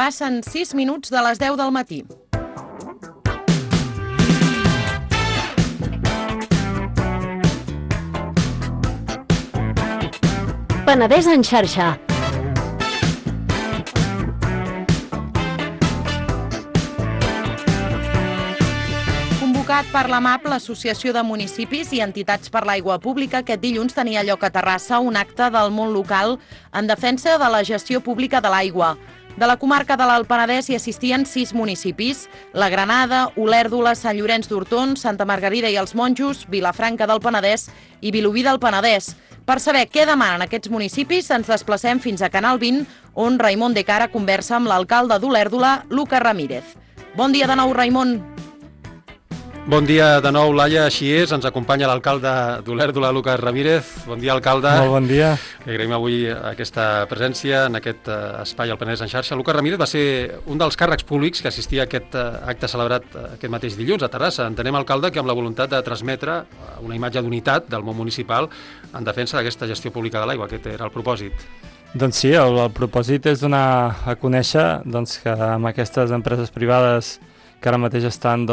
Passen 6 minuts de les 10 del matí. Penedès en xarxa. Convocat per l'AMAP, l'Associació de Municipis i Entitats per l'Aigua Pública, aquest dilluns tenia lloc a Terrassa un acte del món local en defensa de la gestió pública de l'aigua. De la comarca de l'Alt Penedès hi assistien 6 municipis: la Granada, Olèrdola, Sant Llorenç d'Hortons, Santa Margarida i els Monjos, Vilafranca del Penedès i Vilobí del Penedès. Per saber què demanen aquests municipis, ens desplacem fins a Canal 20, on Raimon de Cara conversa amb l'alcalde d'Olèrdola, Lucas Ramírez. Bon dia de nou, Raimon. Bon dia de nou, Laia, així és, ens acompanya l'alcalde d'Olèrdola, Lucas Ramírez. Bon dia, alcalde. Molt bon dia. Li agraïm avui aquesta presència en aquest espai al Penedès en xarxa. Lucas Ramírez va ser un dels càrrecs públics que assistia a aquest acte celebrat aquest mateix dilluns a Terrassa. Entenem, alcalde, que amb la voluntat de transmetre una imatge d'unitat del món municipal en defensa d'aquesta gestió pública de l'aigua. Aquest era el propòsit. Doncs sí, el propòsit és donar a conèixer que amb aquestes empreses privades que ara mateix estan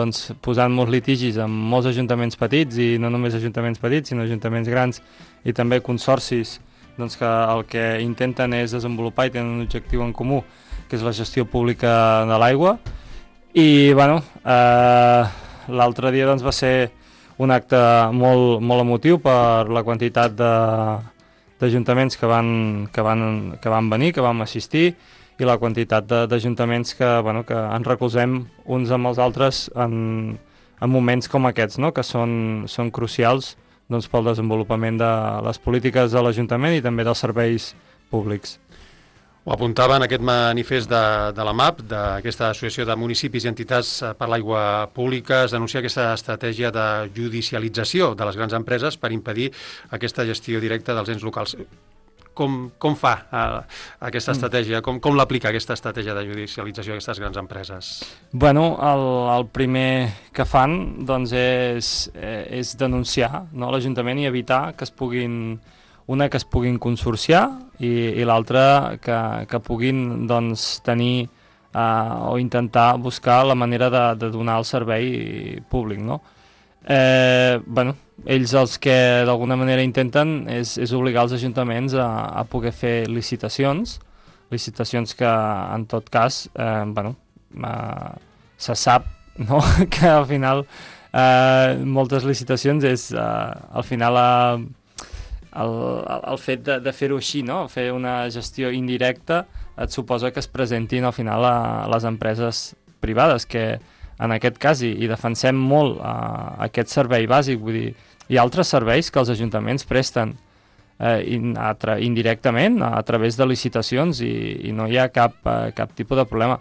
posant molts litigis amb molts ajuntaments petits, i no només ajuntaments petits, sinó ajuntaments grans i també consorcis, que el que intenten és desenvolupar i tenen un objectiu en comú, que és la gestió pública de l'aigua. I l'altre dia va ser un acte molt emotiu per la quantitat d'ajuntaments que van venir, que vam assistir, i la quantitat d'ajuntaments que ens recolzem uns amb els altres en moments com aquests, que són crucials pel desenvolupament de les polítiques de l'Ajuntament i també dels serveis públics. Ho apuntava en aquest manifest de l'AMAP, d'aquesta Associació de Municipis i Entitats per l'Aigua Pública. Es denuncia aquesta estratègia de judicialització de les grans empreses per impedir aquesta gestió directa dels ens locals. Com fa aquesta estratègia? Com l'aplica aquesta estratègia de judicialització a aquestes grans empreses? El primer que fan és denunciar l'Ajuntament i evitar que es puguin consorciar i l'altra que puguin tenir o intentar buscar la manera de donar el servei públic, ells els que d'alguna manera intenten és obligar els ajuntaments a poder fer licitacions que en tot cas se sap que al final moltes licitacions és al final el fet de fer-ho així, fer una gestió indirecta, et suposa que es presentin al final a les empreses privades, que en aquest cas, i defensem molt aquest servei bàsic, vull dir, hi ha altres serveis que els ajuntaments presten indirectament a través de licitacions i no hi ha cap tipus de problema.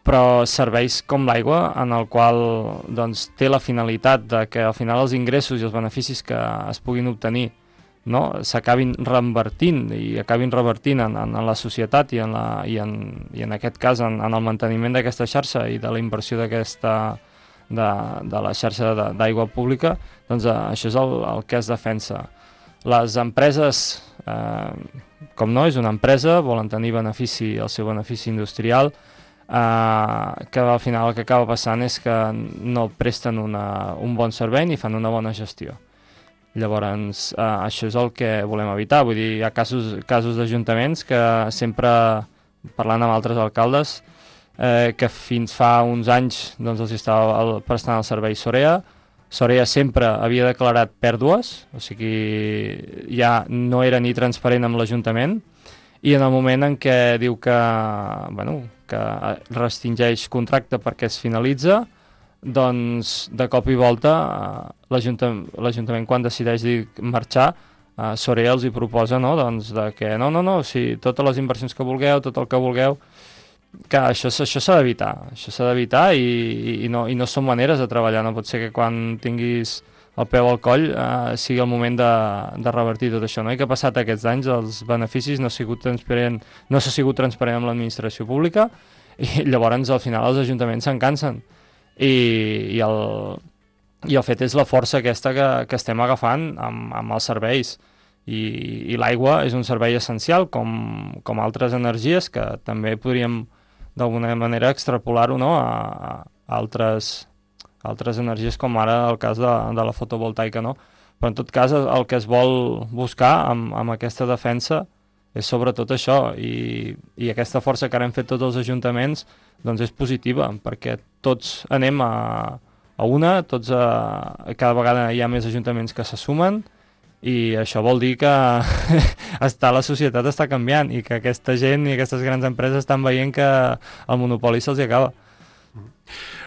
Però serveis com l'aigua, en el qual té la finalitat de que al final els ingressos i els beneficis que es puguin obtenir s'acabin revertint en la societat i en aquest cas en el manteniment d'aquesta xarxa i de la inversió de la xarxa d'aigua pública, això és el que es defensa. Les empreses, com no, és una empresa, volen tenir el seu benefici industrial, que al final el que acaba passant és que no presten un bon servei ni fan una bona gestió. Llavors, això és el que volem evitar. Vull dir, hi ha casos d'ajuntaments que sempre, parlant amb altres alcaldes, que fins fa uns anys els estava prestant el servei Sorea. Sorea sempre havia declarat pèrdues, o sigui, ja no era ni transparent amb l'Ajuntament, i en el moment en què diu que restringeix contracte perquè es finalitza, doncs de cop i volta l'Ajuntament, quan decideix marxar, Sorea els hi proposa que no, si totes les inversions que vulgueu, tot el que vulgueu, que això s'ha d'evitar i no són maneres de treballar. No pot ser que quan tinguis el peu al coll sigui el moment de revertir tot això, I que passat aquests anys els beneficis no s'ha sigut transparent amb l'administració pública, i llavors al final els ajuntaments se'n cansen. I el fet és la força aquesta que estem agafant amb els serveis, i l'aigua és un servei essencial com altres energies que també podríem d'alguna manera extrapolar-ho, no? a altres energies, com ara el cas de la fotovoltaica, no? Però en tot cas el que es vol buscar amb aquesta defensa és sobretot això, i aquesta força que ara hem fet tots els ajuntaments doncs és positiva, perquè tots anem a una, cada vegada hi ha més ajuntaments que se sumen, i això vol dir que la societat està canviant i que aquesta gent i aquestes grans empreses estan veient que el monopoli se'ls acaba.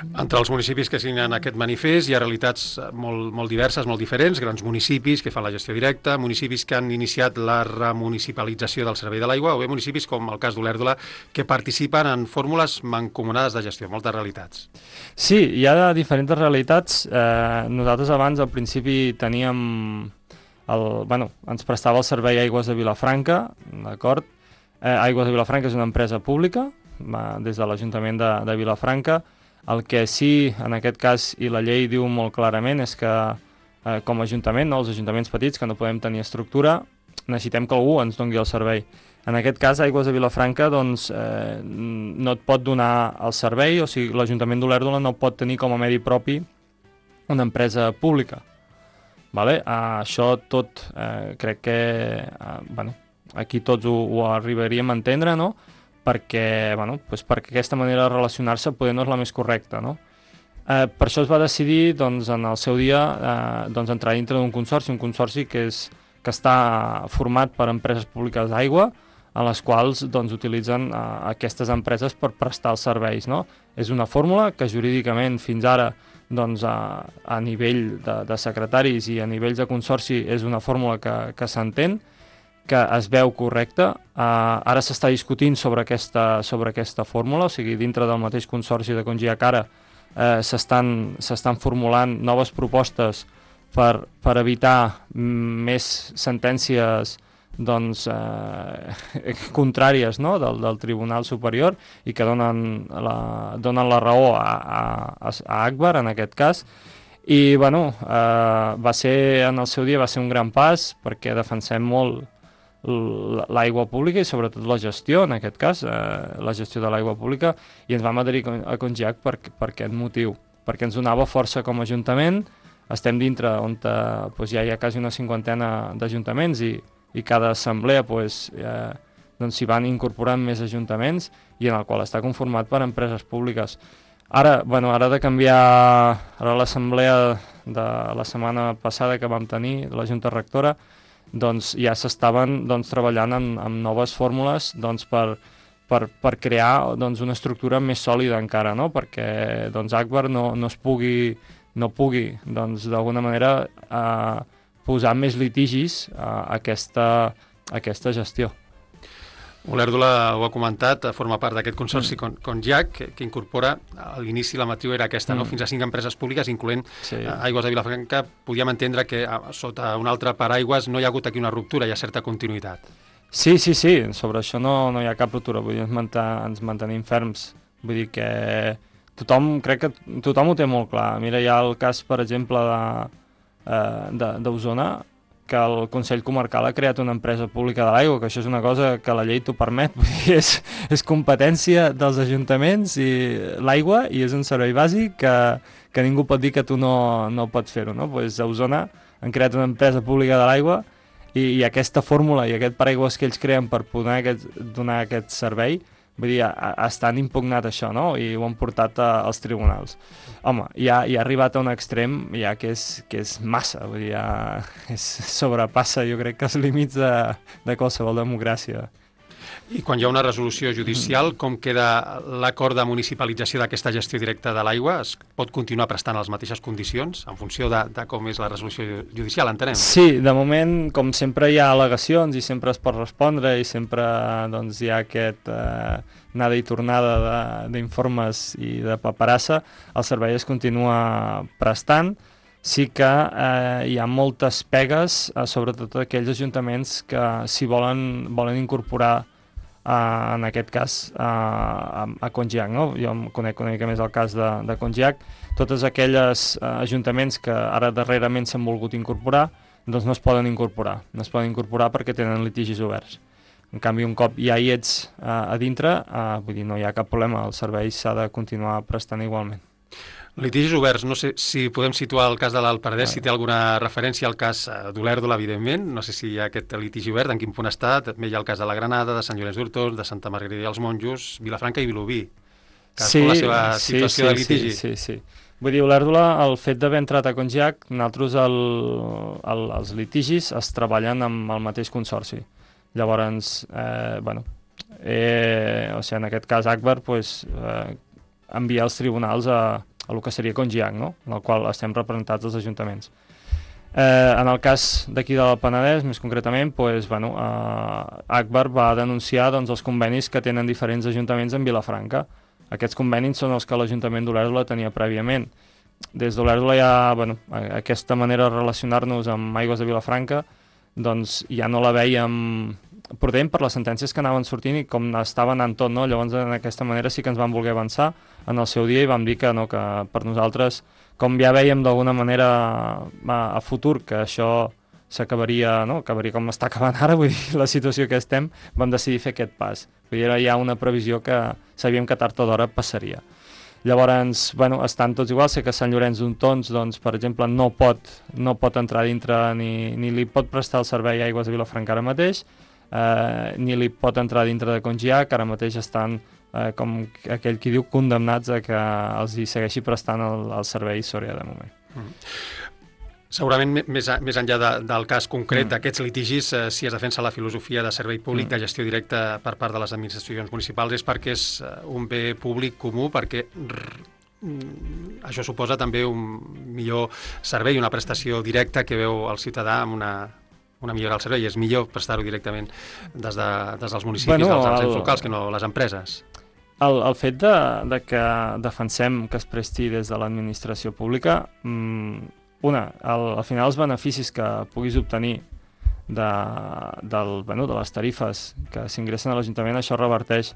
Entre els municipis que signen aquest manifest hi ha realitats molt diverses, molt diferents, grans municipis que fan la gestió directa, municipis que han iniciat la remunicipalització del servei de l'aigua, o bé municipis com el cas d'Olèrdola que participen en fórmules mancomunades de gestió, moltes realitats. Sí, hi ha diferents realitats. Nosaltres abans al principi teníem ens prestava el servei Aigües de Vilafranca, d'acord? Aigües de Vilafranca és una empresa pública, des de l'Ajuntament de Vilafranca. El que sí, en aquest cas, i la llei diu molt clarament, és que com a Ajuntament, els ajuntaments petits, que no podem tenir estructura, necessitem que algú ens doni el servei. En aquest cas, Aigües de Vilafranca no et pot donar el servei, o sigui, l'Ajuntament d'Olèrdola no pot tenir com a medi propi una empresa pública. Això tot crec que aquí tots ho arribaríem a entendre, no? Perquè aquesta manera de relacionar-se poder no és la més correcta, no? Per això es va decidir en el seu dia entrar dintre d'un consorci, un consorci que està format per empreses públiques d'aigua, en les quals utilitzen aquestes empreses per prestar els serveis, no? És una fórmula que jurídicament fins ara a nivell de secretaris i a nivells de consorci és una fórmula que s'entén, que es veu correcta. Ara s'està discutint sobre aquesta fórmula, o sigui, dintre del mateix consorci de Congiac ara s'estan formulant noves propostes per evitar més sentències contràries, no? del Tribunal Superior, i que donen la raó a Agbar en aquest cas. I en el seu dia va ser un gran pas, perquè defensem molt l'aigua pública i sobretot la gestió, en aquest cas, la gestió de l'aigua pública, i ens vam adherir a Congiac per aquest motiu, perquè ens donava força com a Ajuntament. Estem dintre on ja hi ha quasi una 50ena d'ajuntaments i cada assemblea s'hi van incorporant més ajuntaments, i en el qual està conformat per empreses públiques. Ara de canviar l'assemblea de la setmana passada que vam tenir, la Junta Rectora, ja s'estaven treballant amb noves fórmules per crear una estructura més sòlida encara, no? Perquè Agbar no pugui d'alguna manera posar més litigis a aquesta gestió. Olèrdola ho ha comentat, forma part d'aquest consorci Congiac, que incorpora, a l'inici la matriu era aquesta, no? Fins a 5 empreses públiques, incloent Aigües de Vilafranca. Podíem entendre que sota un altre paraigües no hi ha hagut aquí una ruptura, hi ha certa continuïtat. Sí, sobre això no hi ha cap ruptura, vull dir, ens mantenim ferms. Vull dir que crec que tothom ho té molt clar. Mira, hi ha el cas, per exemple, d'Osona, que el Consell Comarcal ha creat una empresa pública de l'aigua, que això és una cosa que la llei t'ho permet, vull dir, és competència dels ajuntaments i l'aigua, i és un servei bàsic que ningú pot dir que tu no pots fer-ho, no? Pues a Osona han creat una empresa pública de l'aigua i aquesta fórmula i aquest paraigües que ells creen per poder donar aquest servei, vull dir, estan impugnat això, no? I ho han portat als tribunals. Home, ja ha arribat a un extrem ja que és massa, vull dir, ja sobrepassa, jo crec, que els límits de qualsevol democràcia. I quan hi ha una resolució judicial, com queda l'acord de municipalització d'aquesta gestió directa de l'aigua? Es pot continuar prestant les mateixes condicions en funció de com és la resolució judicial, entenem? Sí, de moment, com sempre hi ha al·legacions i sempre es pot respondre i sempre hi ha aquest anada i tornada d'informes i de paperassa, el servei es continua prestant. Sí que hi ha moltes pegues, sobretot aquells ajuntaments que s'hi volen incorporar en aquest cas a Congiac, no? Jo conec una mica més el cas de Congiac. Totes aquelles ajuntaments que ara darrerament s'han volgut incorporar, doncs no es poden incorporar perquè tenen litigis oberts. En canvi, un cop ja hi ets a dintre, vull dir, no hi ha cap problema, el servei s'ha de continuar prestant igualment. Litigis oberts, no sé si podem situar el cas de l'Alt Penedès, si té alguna referència al cas d'Olèrdola, evidentment, no sé si hi ha aquest litigi obert, en quin punt està, també hi ha el cas de la Granada, de Sant Llorenç d'Hortons, de Santa Margarida i els Monjos, Vilafranca i Vilobí, cadascú la seva situació de litigi. Sí. Vull dir, Olèrdola, el fet d'haver entrat a Congiac, nosaltres els litigis es treballen amb el mateix consorci. Llavors, o sigui, en aquest cas Agbar, enviar els tribunals a el que seria Congiac, no? En el qual estem representats els ajuntaments. En el cas d'aquí del Penedès, més concretament, Agbar va denunciar els convenis que tenen diferents ajuntaments en Vilafranca. Aquests convenis són els que l'Ajuntament d'Olèrdola tenia prèviament. Des d'Olèrdola aquesta manera de relacionar-nos amb Aigües de Vilafranca doncs ja no la vèiem prudent per les sentències que anaven sortint i com estava anant tot, no? Llavors, d'aquesta manera sí que ens vam voler avançar en el seu dia i vam dir que per nosaltres, com ja vèiem d'alguna manera a futur que això s'acabaria, no? Acabaria com està acabant ara, vull dir, la situació que estem, vam decidir fer aquest pas. Vull dir, era ja una previsió que sabíem que tard o d'hora passaria. Llavors, estan tots iguals, sé que Sant Llorenç d'Hortons, doncs, per exemple, no pot entrar dintre ni li pot prestar el servei a Aigües de Vilafranca ara mateix, ni li pot entrar dintre de Congiac, ara mateix estan, com aquell qui diu, condemnats a que els hi segueixi prestant el servei Sòria de moment. Segurament, més enllà del cas concret d'aquests litigis, si es defensa la filosofia de servei públic, de gestió directa per part de les administracions municipals, és perquè és un bé públic comú, perquè això suposa també un millor servei, una prestació directa que veu el ciutadà amb una millora del servei, i és millor prestar-ho directament des dels municipis, dels ens locals, que no les empreses. El fet de que defensem que es presti des de l'administració pública, al final els beneficis que puguis obtenir de les tarifes que s'ingressen a l'Ajuntament, això reverteix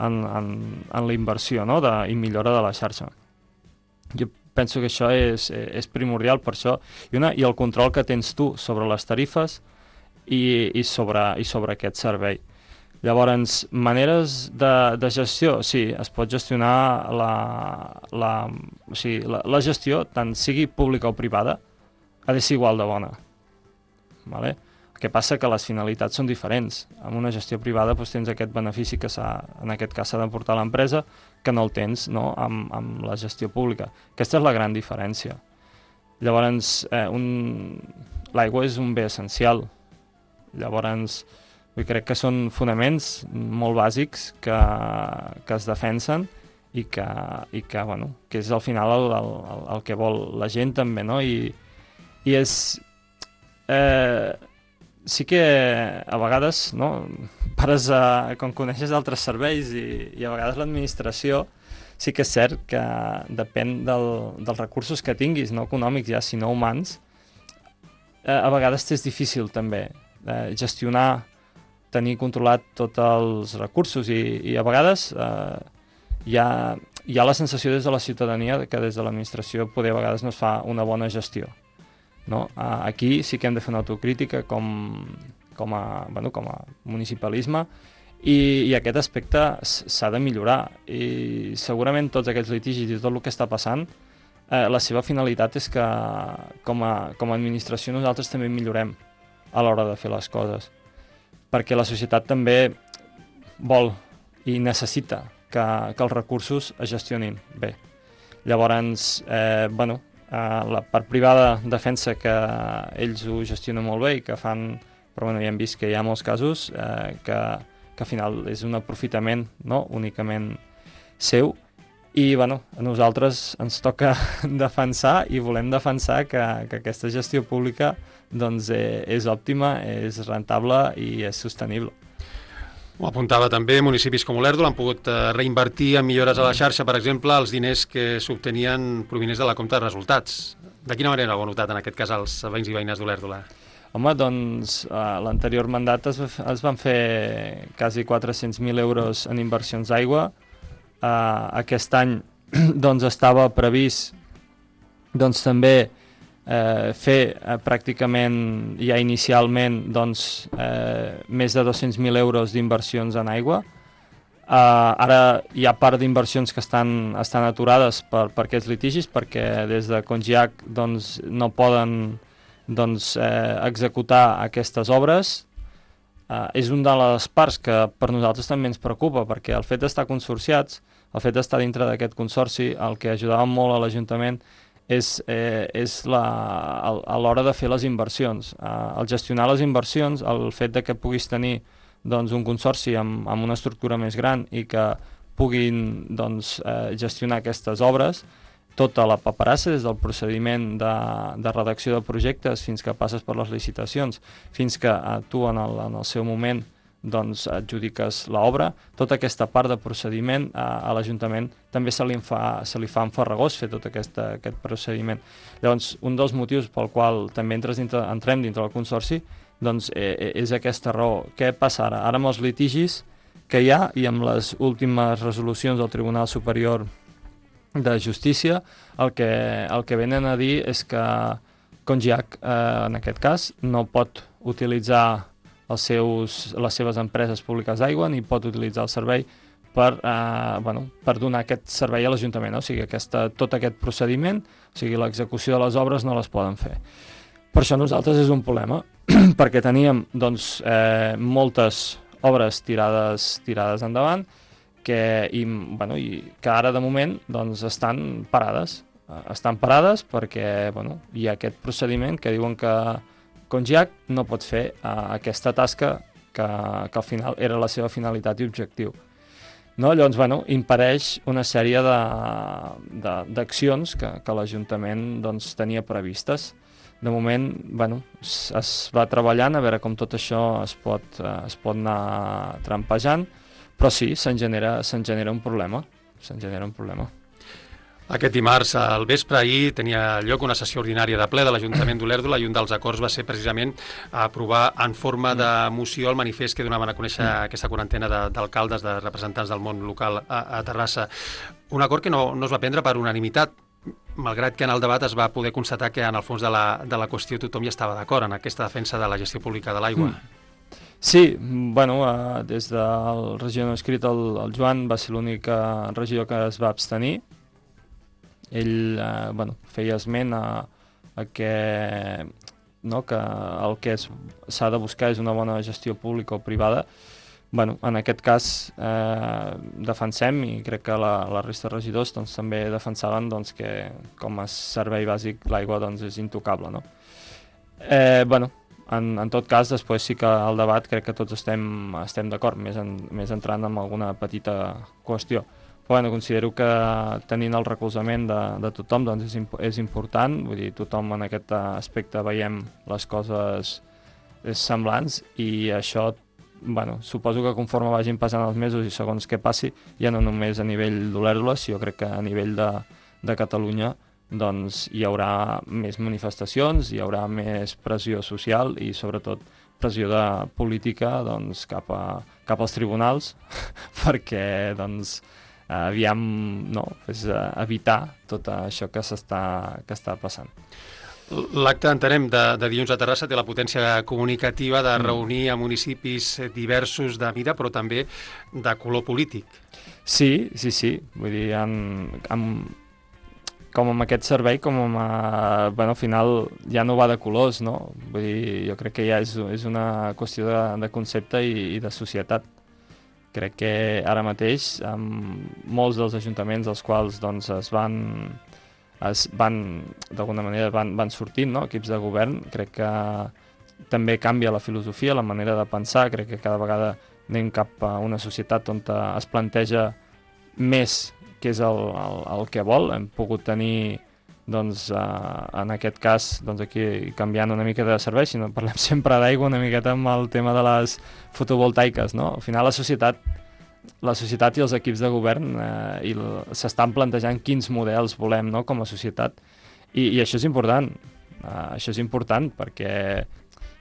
en la inversió, no? I millora de la xarxa. Jo penso que això és primordial per això, i el control que tens tu sobre les tarifes i sobre aquest servei. Llavors, maneres de gestió, sí, es pot gestionar la gestió, tant sigui pública o privada, ha de ser igual de bona. Vale? El que passa que les finalitats són diferents. Amb una gestió privada tens aquest benefici que en aquest cas s'ha d'aportar a l'empresa, que no el tens, no? Amb la gestió pública. Aquesta és la gran diferència. Llavors, l'aigua és un bé essencial. Llavors, crec que són fonaments molt bàsics que es defensen i que és al final el que vol la gent també, no? I és... sí que a vegades, no, pares quan coneixes altres serveis i a vegades l'administració, sí que és cert que depèn dels recursos que tinguis, no econòmics ja, sinó humans, a vegades és difícil també gestionar, tenir controlat tots els recursos i a vegades hi ha la sensació des de la ciutadania que des de l'administració poder a vegades no es fa una bona gestió. No? Aquí sí que hem de fer una autocrítica com a municipalisme i aquest aspecte s'ha de millorar i segurament tots aquests litigis i tot el que està passant la seva finalitat és que com a administració nosaltres també millorem a l'hora de fer les coses perquè la societat també vol i necessita que els recursos es gestionin bé. Llavors, la part privada defensa que ells ho gestionen molt bé i que fan, però ja hem vist que hi ha molts casos que al final és un aprofitament, no? Únicament seu i a nosaltres ens toca defensar i volem defensar que aquesta gestió pública doncs, és òptima, és rentable i és sostenible. Ho apuntava també, municipis com Olèrdola han pogut reinvertir en millores a la xarxa, per exemple, els diners que s'obtenien provinents de la compta de resultats. De quina manera ho heu notat en aquest cas els veïns i veïnes d'Olèrdola? Home, doncs l'anterior mandat es van fer quasi 400.000 euros en inversions d'aigua. Aquest any doncs, estava previst doncs, també fer pràcticament ja inicialment doncs, més de 200.000 euros d'inversions en aigua. Ara hi ha part d'inversions que estan aturades per aquests litigis, perquè des de Congiac doncs, no poden executar aquestes obres. És una de les parts que per nosaltres també ens preocupa, perquè el fet d'estar consorciats, el fet d'estar dintre d'aquest consorci, el que ajudava molt a l'Ajuntament és a l'hora de fer les inversions. El gestionar les inversions, el fet de que puguis tenir doncs, un consorci amb una estructura més gran i que puguin doncs, gestionar aquestes obres, tota la paperassa, des del procediment de redacció de projectes fins que passes per les licitacions, fins que tu en el seu moment doncs, adjudiques l'obra, tota aquesta part de procediment a l'Ajuntament també se li fa enfarragós fer tot aquest procediment. Llavors, un dels motius pel qual també entrem dintre del consorci doncs, és aquesta raó. Què passa ara? Ara amb els litigis que hi ha i amb les últimes resolucions del Tribunal Superior de Justícia, el que venen a dir és que Congiac, en aquest cas, no pot utilitzar les seves empreses públiques d'aigua ni pot utilitzar el servei per donar aquest servei a l'Ajuntament. O sigui, tot aquest procediment, o sigui, l'execució de les obres no les poden fer. Per això nosaltres és un problema, perquè teníem doncs, moltes obres tirades endavant i que ara de moment doncs, estan parades. Estan parades perquè hi ha aquest procediment que diuen que Congiac no pot fer aquesta tasca que al final era la seva finalitat i objectiu. No? Llavors, impedeix una sèrie d'accions que l'Ajuntament doncs, tenia previstes. De moment, es va treballant a veure com tot això es pot anar trampejant, però sí, se'n genera un problema. Aquest dimarts al vespre ahir tenia lloc una sessió ordinària de ple de l'Ajuntament d'Olèrdola i un dels acords va ser precisament aprovar en forma de moció el manifest que donaven a conèixer aquesta quarantena d'alcaldes, de representants del món local a Terrassa. Un acord que no es va prendre per unanimitat, malgrat que en el debat es va poder constatar que en el fons de la qüestió tothom hi estava d'acord en aquesta defensa de la gestió pública de l'aigua. Sí, des del regidor no escrit, el Joan va ser l'únic regidor que es va abstenir. Ell feia esment a que el que s'ha de buscar és una bona gestió pública o privada. En aquest cas defensem, i crec que la resta de regidors doncs, també defensaven doncs, que com a servei bàsic l'aigua doncs, és intocable. No? En tot cas, després sí que al debat crec que tots estem d'acord, més entrant en alguna petita qüestió. Però considero que tenint el recolzament de tothom doncs, és important, vull dir, tothom en aquest aspecte veiem les coses semblants i això suposo que conforme vagin passant els mesos i segons què passi, ja no només a nivell d'Olèrdola, sinó crec que a nivell de Catalunya doncs, hi haurà més manifestacions, hi haurà més pressió social i sobretot pressió de política doncs, cap als tribunals perquè doncs, evitar tot això que està passant. L'acte, entenem, de dilluns a Terrassa té la potència comunicativa de reunir a municipis diversos de mida, però també de color polític. Sí. Vull dir, com amb aquest servei, al final ja no va de colors, no? Vull dir, jo crec que ja és una qüestió de concepte i de societat. Crec que ara mateix, amb molts dels ajuntaments dels quals doncs, d'alguna manera van sortint, no? Equips de govern, crec que també canvia la filosofia, la manera de pensar, crec que cada vegada anem cap a una societat on es planteja més què és el que vol. Hem pogut tenir, doncs, en aquest cas, doncs aquí canviant una mica de servei, si no parlem sempre d'aigua, una miqueta amb el tema de les fotovoltaiques, no? Al final la societat i els equips de govern s'estan plantejant quins models volem, no?, com a societat, i això és important. Això és important perquè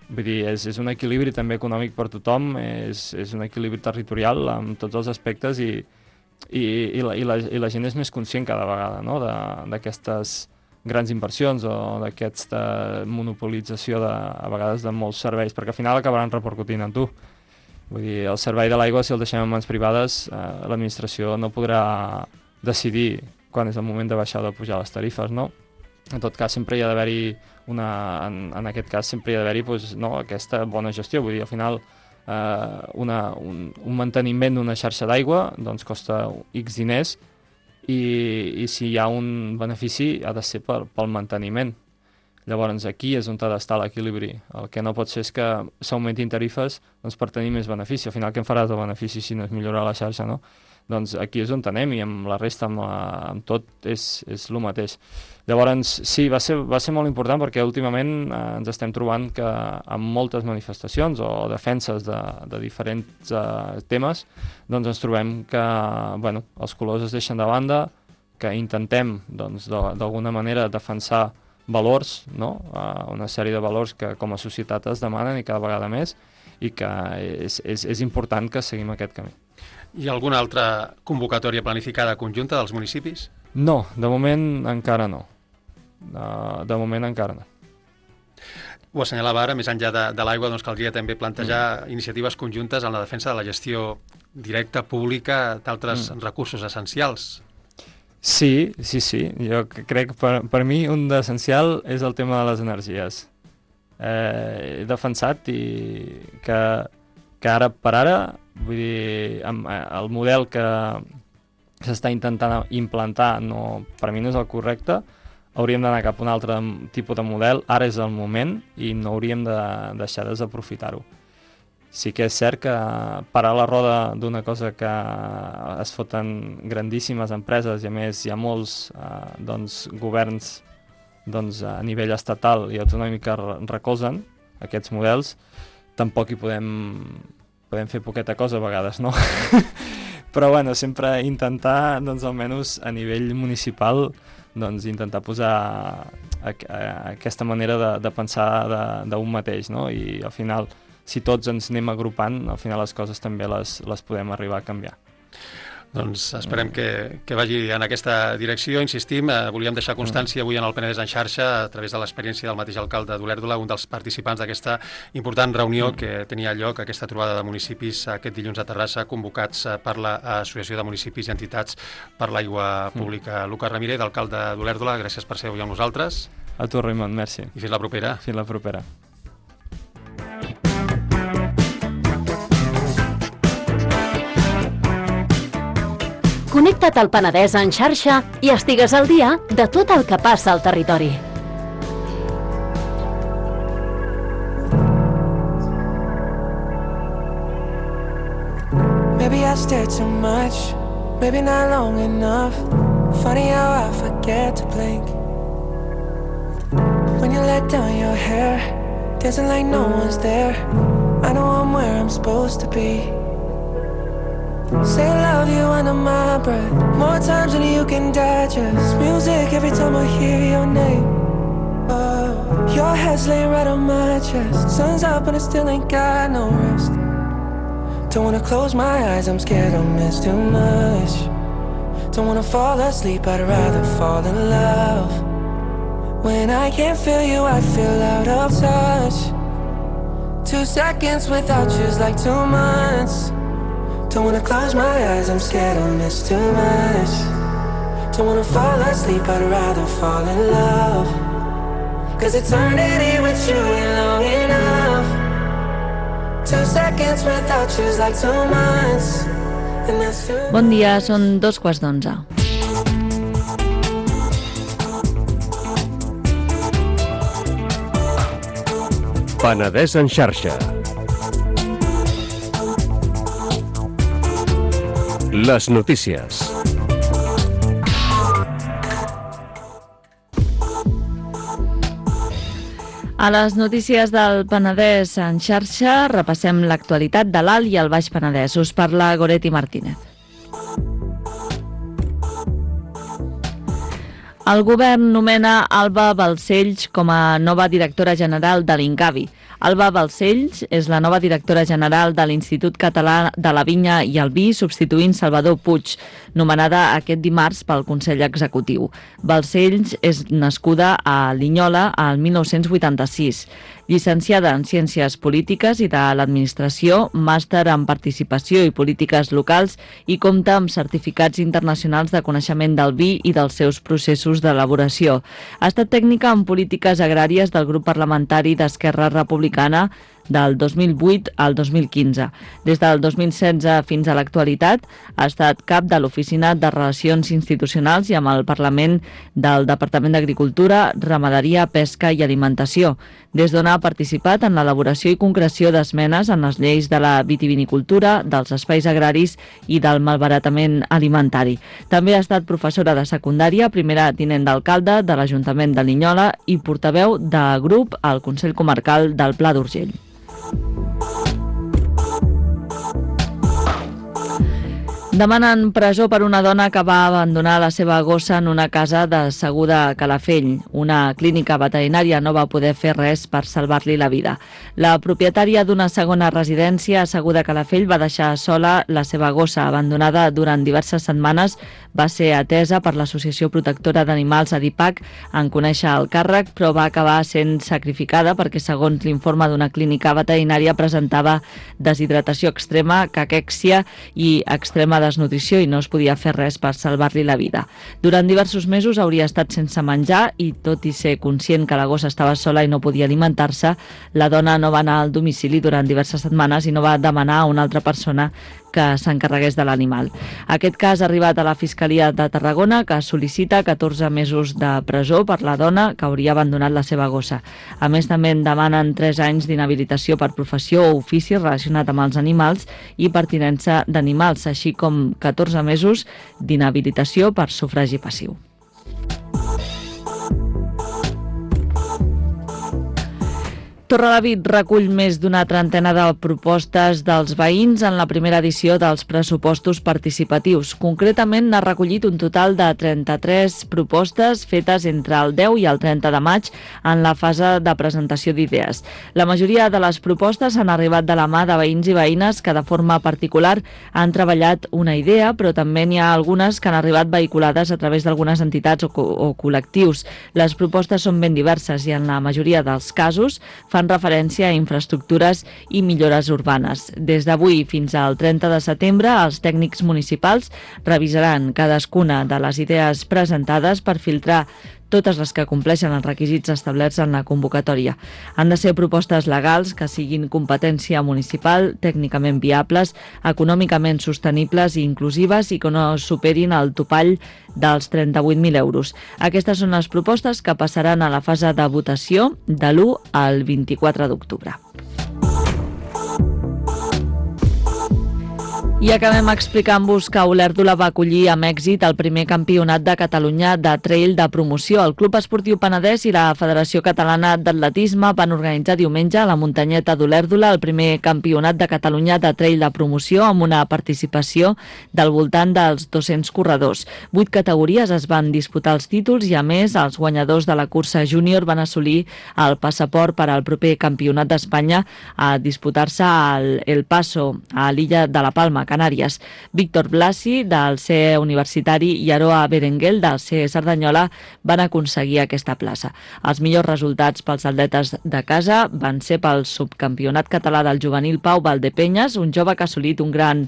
vull dir, és un equilibri també econòmic per tothom, és un equilibri territorial en tots els aspectes i la gent és més conscient cada vegada, no?, d'aquestes grans inversions o d'aquesta monopolització a vegades de molts serveis, perquè al final acabaran repercutint en tu. Vull dir, el servei de l'aigua, si el deixem en mans privades, l'administració no podrà decidir quan és el moment de baixar o de pujar les tarifes, no? En tot cas, sempre hi ha d'haver-hi en aquest cas, sempre hi ha d'haver-hi aquesta bona gestió. Vull dir, al final, un manteniment d'una xarxa d'aigua doncs costa X diners i si hi ha un benefici ha de ser pel manteniment. Llavors aquí és on ha d'estar l'equilibri. El que no pot ser és que s'augmentin tarifes doncs, per tenir més benefici. Al final què en faràs de benefici si no és millorar la xarxa, no? Doncs aquí és on anem i amb la resta, amb tot, és el mateix. Llavors, sí, va ser molt important perquè últimament ens estem trobant que amb moltes manifestacions o defenses de diferents temes, doncs ens trobem que els colors es deixen de banda, que intentem d'alguna manera defensar valors, no? Una sèrie de valors que com a societat es demanen i cada vegada més i que és important que seguim aquest camí. Hi ha alguna altra convocatòria planificada conjunta dels municipis? No, de moment encara no. De moment encara no. Ho assenyalava ara, més enllà de l'aigua, doncs caldria també plantejar iniciatives conjuntes en la defensa de la gestió directa, pública, d'altres recursos essencials. Sí. Jo crec que per mi un d'essencial és el tema de les energies. He defensat que ara per ara, vull dir, el model que s'està intentant implantar per mi no és el correcte, hauríem d'anar cap a un altre tipus de model, ara és el moment i no hauríem de deixar de desaprofitar-ho. Sí que és cert que parar la roda d'una cosa que es foten grandíssimes empreses i a més hi ha molts governs a nivell estatal i autonòmic que recolzen aquests models, tampoc hi podem fer poqueta cosa a vegades, no? Però bueno, sempre intentar, almenys a nivell municipal, intentar posar aquesta manera de pensar d'un mateix, no? I al final, si tots ens anem agrupant, al final les coses també les podem arribar a canviar. Doncs esperem que vagi en aquesta direcció. Insistim, volíem deixar constància avui en el Penedès en xarxa, a través de l'experiència del mateix alcalde d'Olèrdola, un dels participants d'aquesta important reunió que tenia lloc, aquesta trobada de municipis aquest dilluns a Terrassa, convocats per l'Associació de Municipis i Entitats per l'Aigua Pública. Lucas Ramírez, alcalde d'Olèrdola, gràcies per ser avui amb nosaltres. A tu, Raimon, merci. I fins la propera. Fins la propera. Connecta't al Penedès en xarxa i estigues al dia de tot el que passa al territori. Maybe I stare too much, maybe not long enough. Funny how I forget to blink. When you let down your hair, dancing like no one's there. I know I'm where I'm supposed to be. Say I love you under my breath, more times than you can digest. Music every time I hear your name. Oh, your head's laying right on my chest. Sun's up and I still ain't got no rest. Don't wanna close my eyes, I'm scared I'll miss too much. Don't wanna fall asleep, I'd rather fall in love. When I can't feel you, I feel out of touch. 2 seconds without you's like 2 months. Don't wanna close my eyes, I'm scared I'll miss too much. Don't wanna fall asleep, I'd rather fall in love. Cause eternity with you ain't long enough. 2 seconds without you's like 2 months. And that's too much. Bon dia, són 2:15. Penedès en xarxa. Les notícies. A les notícies del Penedès en xarxa repassem l'actualitat de l'Alt i el Baix Penedès. Us parla Goretti Martínez. El govern nomena Alba Balcells com a nova directora general de l'Incavi. Alba Balcells és la nova directora general de l'Institut Català de la Vinya i el Vi, substituint Salvador Puig, nomenada aquest dimarts pel Consell Executiu. Balcells és nascuda a Linyola al 1986. Llicenciada en Ciències Polítiques i de l'Administració, màster en Participació i Polítiques Locals i compta amb certificats internacionals de coneixement del vi i dels seus processos d'elaboració. Ha estat tècnica en polítiques agràries del grup parlamentari d'Esquerra Republicana del 2008 al 2015. Des del 2016 fins a l'actualitat ha estat cap de l'Oficina de Relacions Institucionals i amb el Parlament del Departament d'Agricultura, Ramaderia, Pesca i Alimentació, des d'on ha participat en l'elaboració i concreció d'esmenes en les lleis de la vitivinicultura, dels espais agraris i del malbaratament alimentari. També ha estat professora de secundària, primera tinent d'alcalde de l'Ajuntament de Linyola i portaveu de grup al Consell Comarcal del Pla d'Urgell. Demanen presó per una dona que va abandonar la seva gossa en una casa de Seguda a Calafell. Una clínica veterinària no va poder fer res per salvar-li la vida. La propietària d'una segona residència a Seguda a Calafell va deixar sola la seva gossa, abandonada durant diverses setmanes. Va ser atesa per l'Associació Protectora d'Animals Adipac en conèixer el càrrec, però va acabar sent sacrificada perquè, segons l'informe d'una clínica veterinària, presentava deshidratació extrema, caquèxia i extrema desnutrició i no es podia fer res per salvar-li la vida. Durant diversos mesos hauria estat sense menjar i, tot i ser conscient que la gossa estava sola i no podia alimentar-se, la dona no va anar al domicili durant diverses setmanes i no va demanar a una altra persona que s'encarregués de l'animal. Aquest cas ha arribat a la Fiscalia de Tarragona, que sol·licita 14 mesos de presó per la dona que hauria abandonat la seva gossa. A més, també en demanen 3 anys d'inhabilitació per professió o ofici relacionat amb els animals i per tinença d'animals, així com 14 mesos d'inhabilitació per sufragi passiu. Torrelavit recull més d'una trentena de propostes dels veïns en la primera edició dels pressupostos participatius. Concretament, n'ha recollit un total de 33 propostes fetes entre el 10 i el 30 de maig en la fase de presentació d'idees. La majoria de les propostes han arribat de la mà de veïns i veïnes que de forma particular han treballat una idea, però també n'hi ha algunes que han arribat vehiculades a través d'algunes entitats o col·lectius. Les propostes són ben diverses i en la majoria dels casos fan referència a infraestructures i millores urbanes. Des d'avui fins al 30 de setembre, els tècnics municipals revisaran cadascuna de les idees presentades per filtrar totes les que compleixen els requisits establerts en la convocatòria. Han de ser propostes legals que siguin competència municipal, tècnicament viables, econòmicament sostenibles i inclusives i que no superin el topall dels 38.000 euros. Aquestes són les propostes que passaran a la fase de votació de l'1 al 24 d'octubre. I acabem explicant-vos que Olèrdola va acollir amb èxit el primer campionat de Catalunya de trail de promoció. El Club Esportiu Penedès i la Federació Catalana d'Atletisme van organitzar diumenge a la muntanyeta d'Olèrdola el primer campionat de Catalunya de trail de promoció amb una participació del voltant dels 200 corredors. 8 categories es van disputar els títols i, a més, els guanyadors de la cursa júnior van assolir el passaport per al proper campionat d'Espanya a disputar-se al El Paso, a l'illa de la Palma, Canàries. Víctor Blasi, del CE Universitari, i Aroa Berenguel, del CE Cerdanyola, van aconseguir aquesta plaça. Els millors resultats pels atletes de casa van ser pel subcampionat català del juvenil Pau Valdepenyes, un jove que ha assolit un gran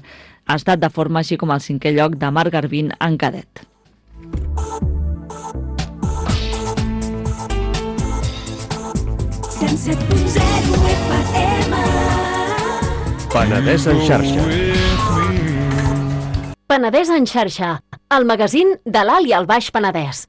estat de forma, així com el 5è lloc de Marc Garbín en cadet. Penedès en xarxa. Penedès en xarxa, el magazín de l'Alt i el Baix Penedès.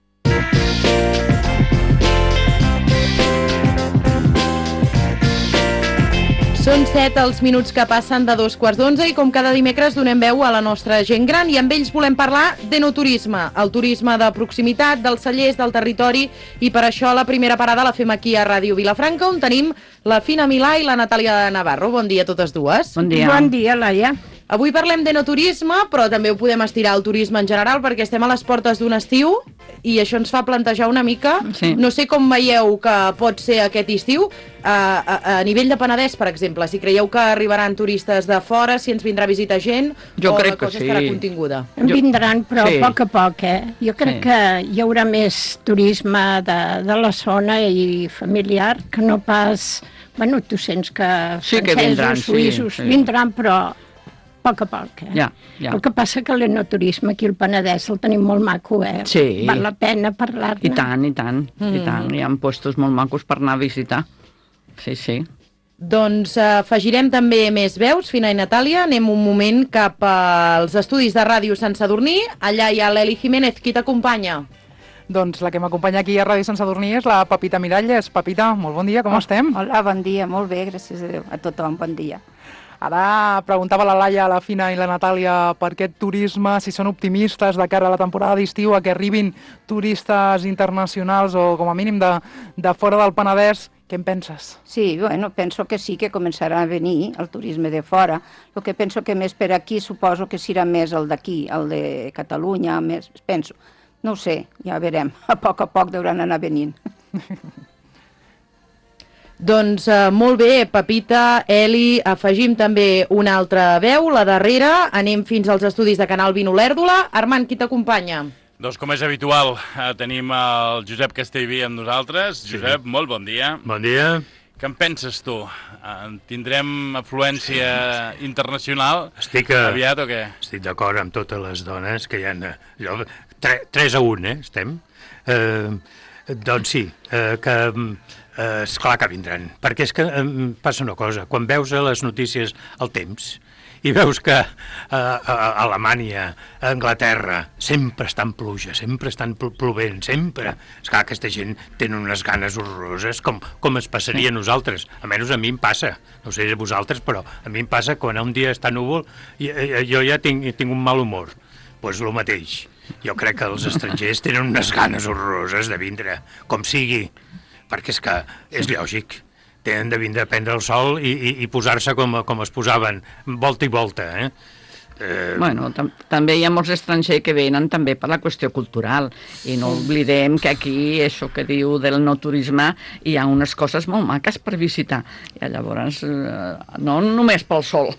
Són 7 els minuts que passen de 11:15 i com cada dimecres donem veu a la nostra gent gran i amb ells volem parlar d'enoturisme, el turisme de proximitat, dels cellers, del territori, i per això la primera parada la fem aquí a Ràdio Vilafranca, on tenim la Fina Milà i la Natàlia Navarro. Bon dia a totes dues. Bon dia. Bon dia, Laia. Avui parlem d'enoturisme, però també ho podem estirar al turisme en general, perquè estem a les portes d'un estiu i això ens fa plantejar una mica. Sí. No sé com veieu que pot ser aquest estiu, a nivell de Penedès, per exemple, si creieu que arribaran turistes de fora, si ens vindrà a visitar gent, Jo o crec la cosa que sí. estarà continguda. En vindran, però Sí. a poc a poc, Jo crec que hi haurà més turisme de la zona i familiar que no pas... Bueno, tu sents que Sí que francesos, vindran, sí, suïssos, sí. vindran, però a poc a poc, Ja. El que passa que l'enoturisme aquí al Penedès el tenim molt maco, Sí. Val la pena parlar-ne. I tant, i tant, i tant. Hi ha puestos molt macos per anar a visitar. Sí, sí. Doncs afegirem també més veus, Fina i Natàlia. Anem un moment cap als estudis de ràdio Sant Sadurní. Allà hi ha l'Eli Jiménez. Qui t'acompanya? Doncs la que m'acompanya aquí a Ràdio Sant Sadurní és la Pepita Miralles. Pepita, molt bon dia, com estem? Hola, bon dia, molt bé, gràcies a Déu. A tothom, bon dia. Ara preguntava la Laia, la Fina i la Natàlia per aquest turisme, si són optimistes de cara a la temporada d'estiu, a que arribin turistes internacionals o com a mínim de fora del Penedès. Què en penses? Sí, bueno, penso que sí que començarà a venir el turisme de fora. El que penso que més per aquí suposo que serà més el d'aquí, el de Catalunya, més, penso. No ho sé, ja veurem. A poc deuen anar venint. Doncs molt bé, Pepita, Eli, afegim també una altra veu, la darrera. Anem fins als estudis de Canal 20 Olèrdola. Armand, qui t'acompanya? Doncs com és habitual, tenim el Josep Castellví amb nosaltres. Josep, molt bon dia. Bon dia. Què en penses tu? Tindrem afluència internacional aviat o què? Estic d'acord amb totes les dones que hi ha... 3-1, estem? Doncs sí, que esclar que vindran. Perquè és que passa una cosa, quan veus a les notícies el temps i veus que a Alemanya, a Anglaterra, sempre està en pluja, sempre estan plovent, sempre. Esclar, aquesta gent tenen unes ganes horroroses, com es passaria a nosaltres. Almenys a mi em passa, no sé a vosaltres, però a mi em passa quan un dia està núvol jo ja tinc un mal humor. Doncs el mateix. Jo crec que els estrangers tenen unes ganes horroroses de vindre, com sigui, perquè és que és lògic. Tenen de vindre a prendre el sol i posar-se com es posaven, volta i volta, Bueno, també hi ha molts estrangers que venen també per la qüestió cultural i no oblidem que aquí, això que diu del no turisme, hi ha unes coses molt maques per visitar i llavors no només pel sol.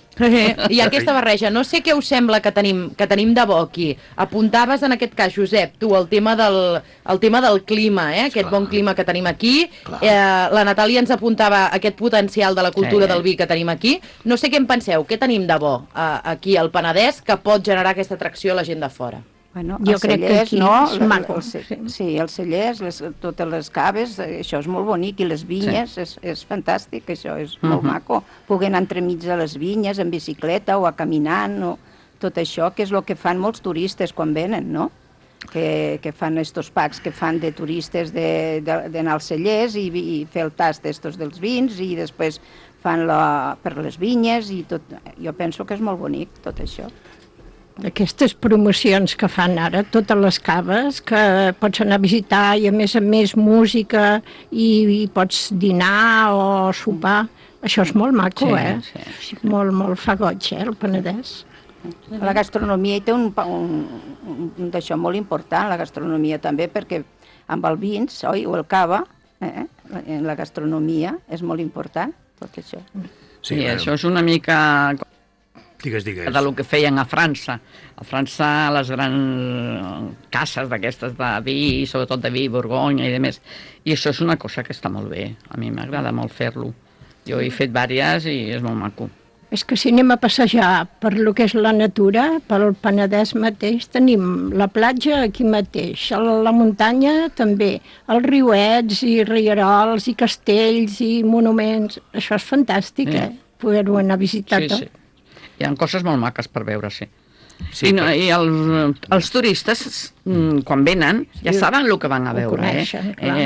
I aquesta barreja, no sé què us sembla que tenim de bo aquí. Apuntaves en aquest cas, Josep, tu, el tema del clima, aquest bon clima que tenim aquí. La Natàlia ens apuntava aquest potencial de la cultura del vi que tenim aquí. No sé què en penseu, què tenim de bo aquí al Penedès que pot generar aquesta atracció a la gent de fora? Bueno, jo crec que aquí és maco. Sí, els cellers, totes les caves, això és molt bonic, i les vinyes, és fantàstic, això és molt maco. Poder anar entremig de les vinyes en bicicleta o a caminant, o tot això, que és el que fan molts turistes quan venen, no? Que fan estos packs que fan de turistes d'anar als cellers i fer el tast d'estos dels vins i després fan per les vinyes i tot. Jo penso que és molt bonic tot això. Aquestes promocions que fan ara, totes les caves, que pots anar a visitar i a més música i pots dinar o sopar, això és molt maco, Sí. Molt fa goig, el Penedès. La gastronomia hi té un d'això molt important, la gastronomia també, perquè amb el vins, oi, o el cava, la gastronomia és molt important, tot això. Sí, això és una mica... Digues. De lo que feien a França. A França, les grans cases d'aquestes de vi, sobretot de vi, Borgonya i demés. I això és una cosa que està molt bé. A mi m'agrada molt fer-lo. Jo he fet diverses i és molt maco. És que si anem a passejar per lo que és la natura, pel Penedès mateix, tenim la platja aquí mateix, la muntanya també, els riuets i rierols i castells i monuments. Això és fantàstic, poder-ho anar a visitar tot. Sí. Hi ha coses molt maques per veure, sí. I els turistes, quan venen, ja saben el que van a veure.